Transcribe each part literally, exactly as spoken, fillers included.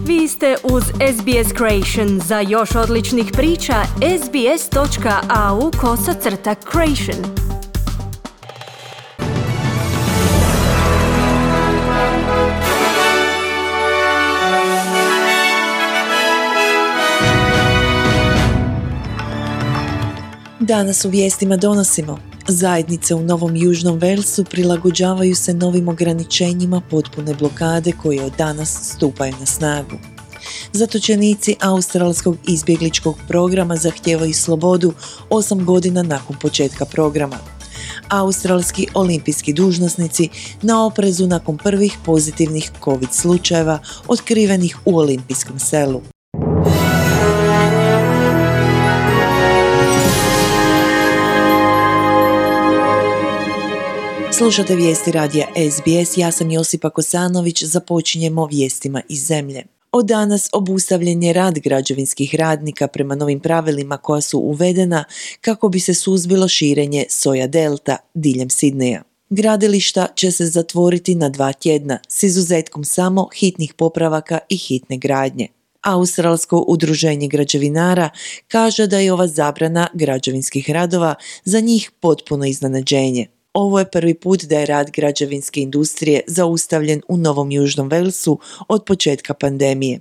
Vi ste uz S B S Creation. Za još odličnih priča, sbs.au kosacrta creation. Danas u vijestima donosimo: zajednice u Novom Južnom Walesu prilagođavaju se novim ograničenjima potpune blokade koje od danas stupaju na snagu. Zatočenici australskog izbjegličkog programa zahtijevaju slobodu osam godina nakon početka programa. Australski olimpijski dužnosnici na oprezu nakon prvih pozitivnih COVID slučajeva otkrivenih u olimpijskom selu. Slušate vijesti radija S B S, ja sam Josipa Kosanović, započinjemo vijestima iz zemlje. Od danas obustavljen je rad građevinskih radnika prema novim pravilima koja su uvedena kako bi se suzbilo širenje soja delta diljem Sidneja. Gradilišta će se zatvoriti na dva tjedna s izuzetkom samo hitnih popravaka i hitne gradnje. Australsko udruženje građevinara kaže da je ova zabrana građevinskih radova za njih potpuno iznenađenje. Ovo je prvi put da je rad građevinske industrije zaustavljen u Novom Južnom Walesu od početka pandemije.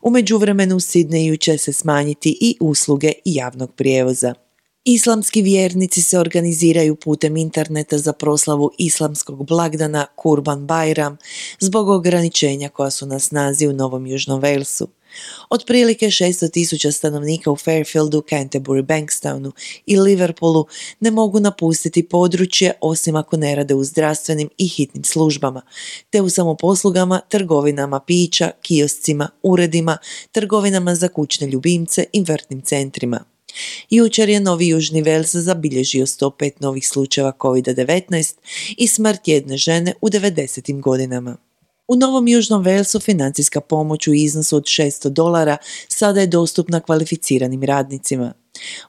U međuvremenu u Sidneju će se smanjiti i usluge javnog prijevoza. Islamski vjernici se organiziraju putem interneta za proslavu islamskog blagdana Kurban Bajram zbog ograničenja koja su na snazi u Novom Južnom Walesu. Otprilike šesto tisuća stanovnika u Fairfieldu, Canterbury, Bankstownu i Liverpoolu ne mogu napustiti područje osim ako ne rade u zdravstvenim i hitnim službama, te u samoposlugama, trgovinama pića, kioscima, uredima, trgovinama za kućne ljubimce i vrtnim centrima. Jučer je Novi Južni Wales zabilježio sto pet novih slučajeva covid devetnaest i smrt jedne žene u devedesetim godinama. U Novom Južnom Walesu financijska pomoć u iznosu od šesto dolara sada je dostupna kvalificiranim radnicima.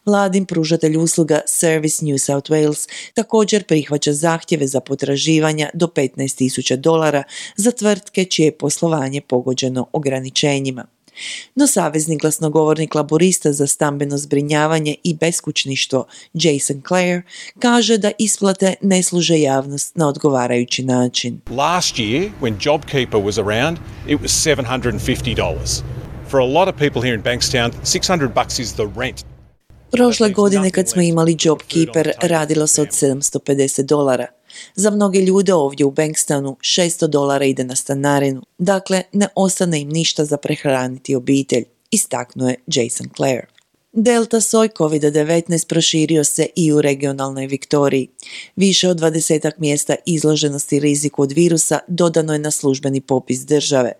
Vladin pružatelj usluga Service New South Wales također prihvaća zahtjeve za potraživanja do petnaest tisuća dolara za tvrtke čije je poslovanje pogođeno ograničenjima. No savezni glasnogovornik laborista za stambeno zbrinjavanje i beskućništvo Jason Clare kaže da isplate ne služe javnost na odgovarajući način. Last year, when JobKeeper was around, it was seven hundred fifty dollars. For a lot of people here in Bankstown, six hundred bucks is the rent. Prošle godine kad smo imali JobKeeper radilo se od sedamsto pedeset dolara. Za mnoge ljude ovdje u Bankstownu šesto dolara ide na stanarinu, dakle ne ostane im ništa za prehraniti obitelj, istaknuo je Jason Clare. Delta soj covid devetnaest proširio se i u regionalnoj Viktoriji. Više od dvadesetak mjesta izloženosti riziku od virusa dodano je na službeni popis države.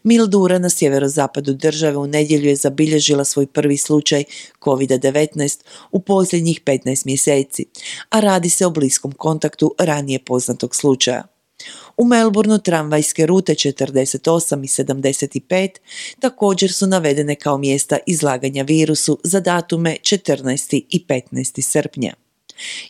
Mildura na sjeverozapadu države u nedjelju je zabilježila svoj prvi slučaj covid devetnaest u posljednjih petnaest mjeseci, a radi se o bliskom kontaktu ranije poznatog slučaja. U Melbourneu tramvajske rute četrdeset osam i sedamdeset pet također su navedene kao mjesta izlaganja virusu za datume četrnaesti i petnaesti srpnja.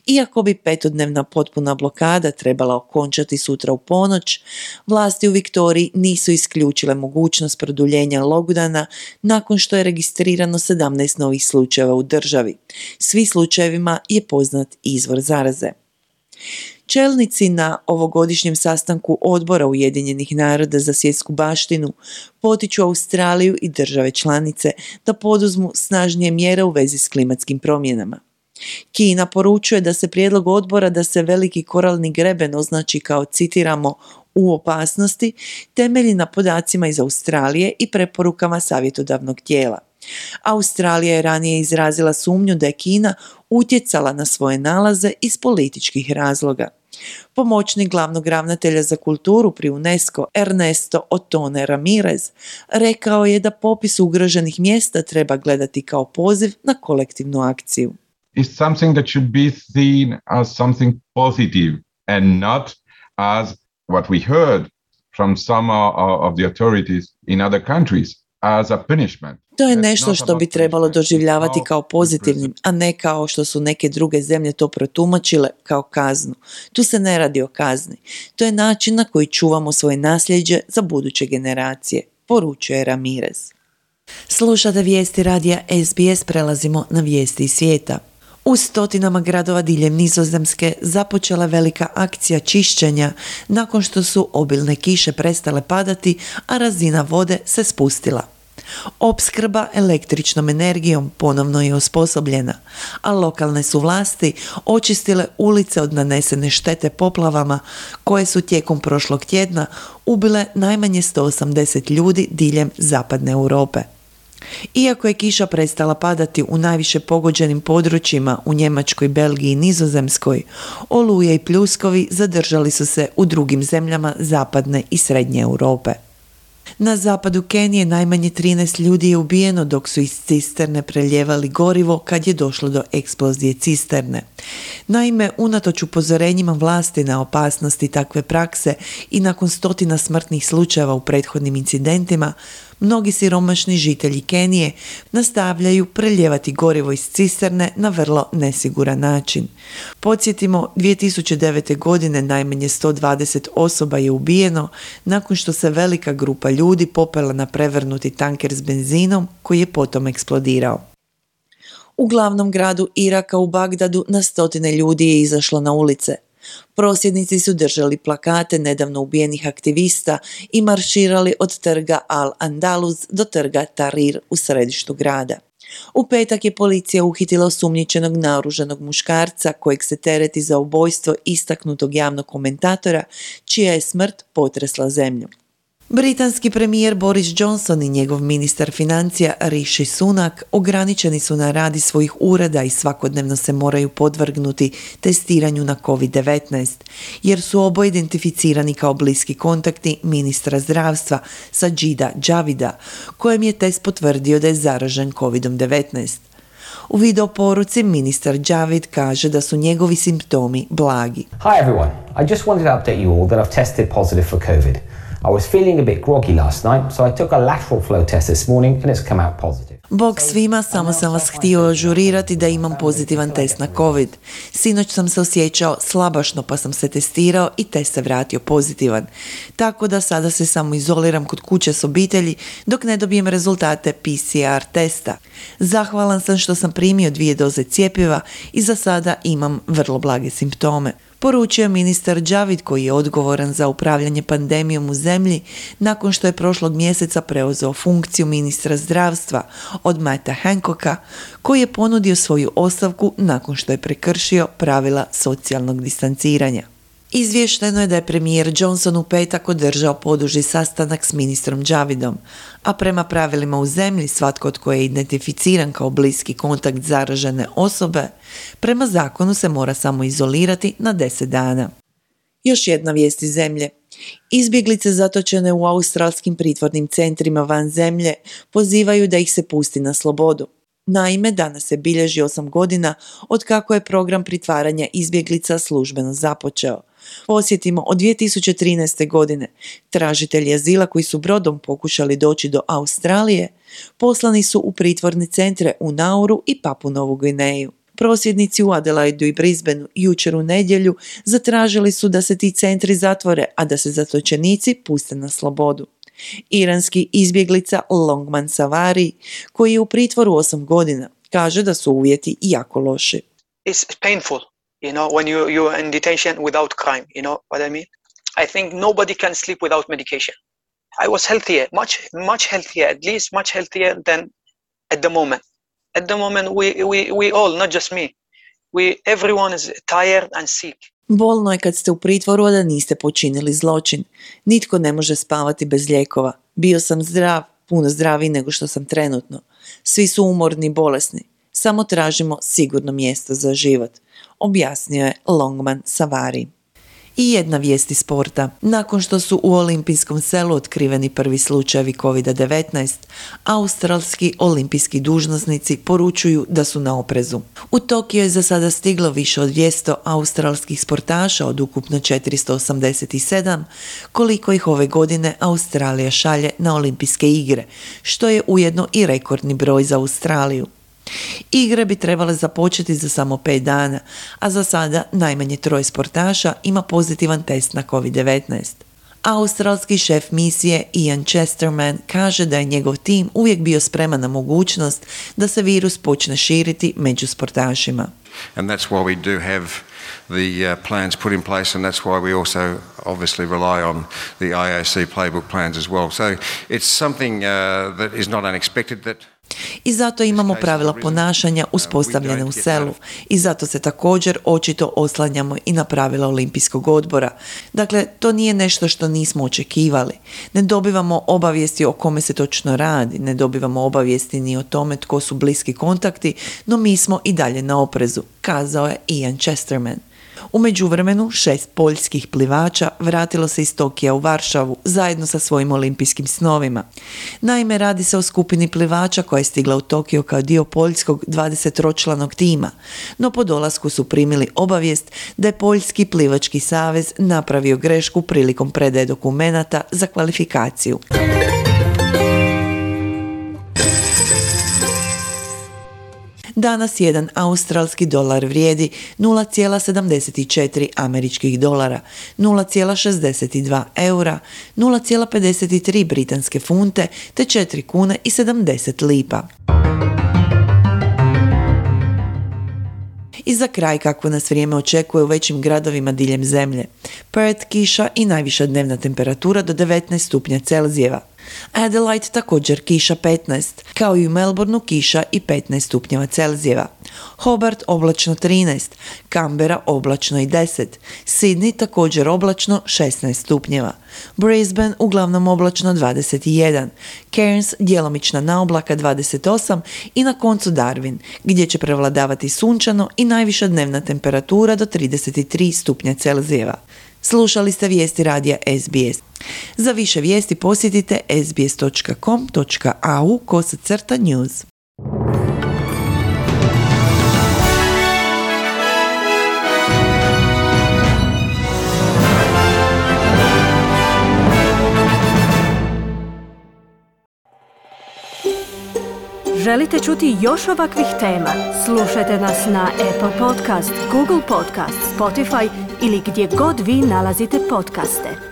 Iako bi petodnevna potpuna blokada trebala okončati sutra u ponoć, vlasti u Viktoriji nisu isključile mogućnost produljenja lockdowna nakon što je registrirano sedamnaest novih slučajeva u državi. Svi slučajevima je poznat izvor zaraze. Čelnici na ovogodišnjem sastanku Odbora Ujedinjenih naroda za svjetsku baštinu potiču Australiju i države članice da poduzmu snažnije mjere u vezi s klimatskim promjenama. Kina poručuje da se prijedlog odbora da se veliki koralni greben označi kao, citiramo, u opasnosti, temelji na podacima iz Australije i preporukama savjetodavnog tijela. Australija je ranije izrazila sumnju da je Kina utjecala na svoje nalaze iz političkih razloga. Pomoćnik glavnog ravnatelja za kulturu pri UNESCO Ernesto Otone Ramirez rekao je da popis ugroženih mjesta treba gledati kao poziv na kolektivnu akciju. Is something that should be seen as something positive and not as what we heard from some of the authorities in other countries as a punishment. To je nešto što bi trebalo doživljavati kao pozitivnim, a ne kao što su neke druge zemlje to protumačile kao kaznu. Tu se ne radi o kazni. To je način na koji čuvamo svoje nasljeđe za buduće generacije, poručuje Ramirez. Slušate vijesti radija S B S, prelazimo na vijesti iz svijeta. U stotinama gradova diljem Nizozemske započela velika akcija čišćenja nakon što su obilne kiše prestale padati, a razina vode se spustila. Opskrba električnom energijom ponovno je osposobljena, a lokalne su vlasti očistile ulice od nanesene štete poplavama koje su tijekom prošlog tjedna ubile najmanje sto osamdeset ljudi diljem zapadne Europe. Iako je kiša prestala padati u najviše pogođenim područjima u Njemačkoj, Belgiji i Nizozemskoj, oluje i pljuskovi zadržali su se u drugim zemljama zapadne i srednje Europe. Na zapadu Kenije najmanje trinaest ljudi je ubijeno dok su iz cisterne preljevali gorivo kad je došlo do eksplozije cisterne. Naime, unatoč upozorenjima vlasti na opasnosti takve prakse i nakon stotina smrtnih slučajeva u prethodnim incidentima, mnogi siromašni žitelji Kenije nastavljaju preljevati gorivo iz cisterne na vrlo nesiguran način. Podsjetimo, dvije tisuće devete. godine najmanje sto dvadeset osoba je ubijeno nakon što se velika grupa ljudi popela na prevrnuti tanker s benzinom koji je potom eksplodirao. U glavnom gradu Iraka, u Bagdadu, na stotine ljudi je izašlo na ulice. Prosvjednici su držali plakate nedavno ubijenih aktivista i marširali od trga Al-Andalus do trga Tahrir u središtu grada. U petak je policija uhitila osumnjičenog naoružanog muškarca kojeg se tereti za ubojstvo istaknutog javnog komentatora, čija je smrt potresla zemlju. Britanski premijer Boris Johnson i njegov ministar financija Rishi Sunak ograničeni su na rad iz svojih ureda i svakodnevno se moraju podvrgnuti testiranju na covid devetnaest, jer su oboje identificirani kao bliski kontakti ministra zdravstva Sajida Javida, kojem je test potvrdio da je zaražen covid devetnaest. U video poruci ministar Javid kaže da su njegovi simptomi blagi. Hi everyone, I just wanted to update you all that I've tested positive for COVID. I was feeling a bit groggy last night, so I took a lateral flow test this morning and it's come out positive. Bog svima, samo sam vas htio ažurirati da imam pozitivan test na COVID. Sinoć sam se osjećao slabašno pa sam se testirao i test se vratio pozitivan. Tako da sada se samo izoliram kod kuće s obitelji dok ne dobijem rezultate P C R testa. Zahvalan sam što sam primio dvije doze cjepiva i za sada imam vrlo blage simptome. Poručio ministar Javid, koji je odgovoran za upravljanje pandemijom u zemlji nakon što je prošlog mjeseca preuzeo funkciju ministra zdravstva od Matta Hancocka, koji je ponudio svoju ostavku nakon što je prekršio pravila socijalnog distanciranja. Izvješteno je da je premijer Johnson u petak održao poduži sastanak s ministrom Javidom, a prema pravilima u zemlji svatko tko je identificiran kao bliski kontakt zaražene osobe, prema zakonu se mora samo izolirati na deset dana. Još jedna vijest iz zemlje. Izbjeglice zatočene u australskim pritvornim centrima van zemlje pozivaju da ih se pusti na slobodu. Naime, danas se bilježi osam godina od kako je program pritvaranja izbjeglica službeno započeo. Posjetimo, od dvije tisuće trinaeste. godine tražitelji azila koji su brodom pokušali doći do Australije poslani su u pritvorne centre u Nauru i Papu Novu Gvineju. Prosvjednici u Adelaidu i Brisbaneu jučer u nedjelju zatražili su da se ti centri zatvore, a da se zatočenici puste na slobodu. Iranski izbjeglica Longman Savari, koji je u pritvoru osam godina, kaže da su uvjeti jako loši. It's painful, you know, when you you're in detention without crime, you know what I mean? I think nobody can sleep without medication. I was healthier, much much healthier, at least much healthier than at the moment. At the moment we we we all, not just me. We everyone is tired and sick. Bolno je kad ste u pritvoru, a da niste počinili zločin. Nitko ne može spavati bez lijekova. Bio sam zdrav, puno zdraviji nego što sam trenutno. Svi su umorni i bolesni. Samo tražimo sigurno mjesto za život, objasnio je Longman Savari. I jedna vijest iz sporta. Nakon što su u olimpijskom selu otkriveni prvi slučajevi covid devetnaest, australski olimpijski dužnosnici poručuju da su na oprezu. U Tokio je za sada stiglo više od dvjesto australskih sportaša od ukupno četiristo osamdeset sedam, koliko ih ove godine Australija šalje na olimpijske igre, što je ujedno i rekordni broj za Australiju. Igre bi trebale započeti za samo pet dana, a za sada najmanje troje sportaša ima pozitivan test na covid devetnaest. Australski šef misije Ian Chesterman kaže da je njegov tim uvijek bio spreman na mogućnost da se virus počne širiti među sportašima. And that's why we do have the uh, plans put in place, and that's why we also obviously rely on the I O C playbook plans as well. So it's something uh, that is not unexpected that I zato imamo pravila ponašanja uspostavljene u selu i zato se također očito oslanjamo i na pravila Olimpijskog odbora. Dakle, to nije nešto što nismo očekivali. Ne dobivamo obavijesti o kome se točno radi, ne dobivamo obavijesti ni o tome tko su bliski kontakti, no mi smo i dalje na oprezu, kazao je Ian Chesterman. U međuvremenu šest poljskih plivača vratilo se iz Tokija u Varšavu zajedno sa svojim olimpijskim snovima. Naime, radi se o skupini plivača koja je stigla u Tokio kao dio poljskog dvadesettročlanog tima, no po dolasku su primili obavijest da je Poljski plivački savez napravio grešku prilikom predaje dokumenata za kvalifikaciju. Danas jedan australski dolar vrijedi nula zarez sedamdeset četiri američkih dolara, nula zarez šezdeset dva eura, nula zarez pedeset tri britanske funte te četiri kune i sedamdeset lipa. I za kraj kako nas vrijeme očekuje u većim gradovima diljem zemlje. Perth kiša i najviša dnevna temperatura do devetnaest stupnja Celzijeva. Adelaide također kiša petnaest, kao i u Melbourneu kiša i petnaest stupnjeva Celzijeva. Hobart oblačno trinaest, Canberra oblačno i deset, Sydney također oblačno šesnaest stupnjeva, Brisbane uglavnom oblačno dvadeset jedan, Cairns djelomična naoblaka dvadeset osam i na koncu Darwin, gdje će prevladavati sunčano i najviša dnevna temperatura do trideset tri stupnja Celzijeva. Slušali ste vijesti radija S B S. Za više vijesti posjetite sbs točka com točka a u kosacrta news. Želite čuti još ovakvih tema? Slušajte nas na Apple Podcast, Google Podcast, Spotify ili gdje god vi nalazite podcaste.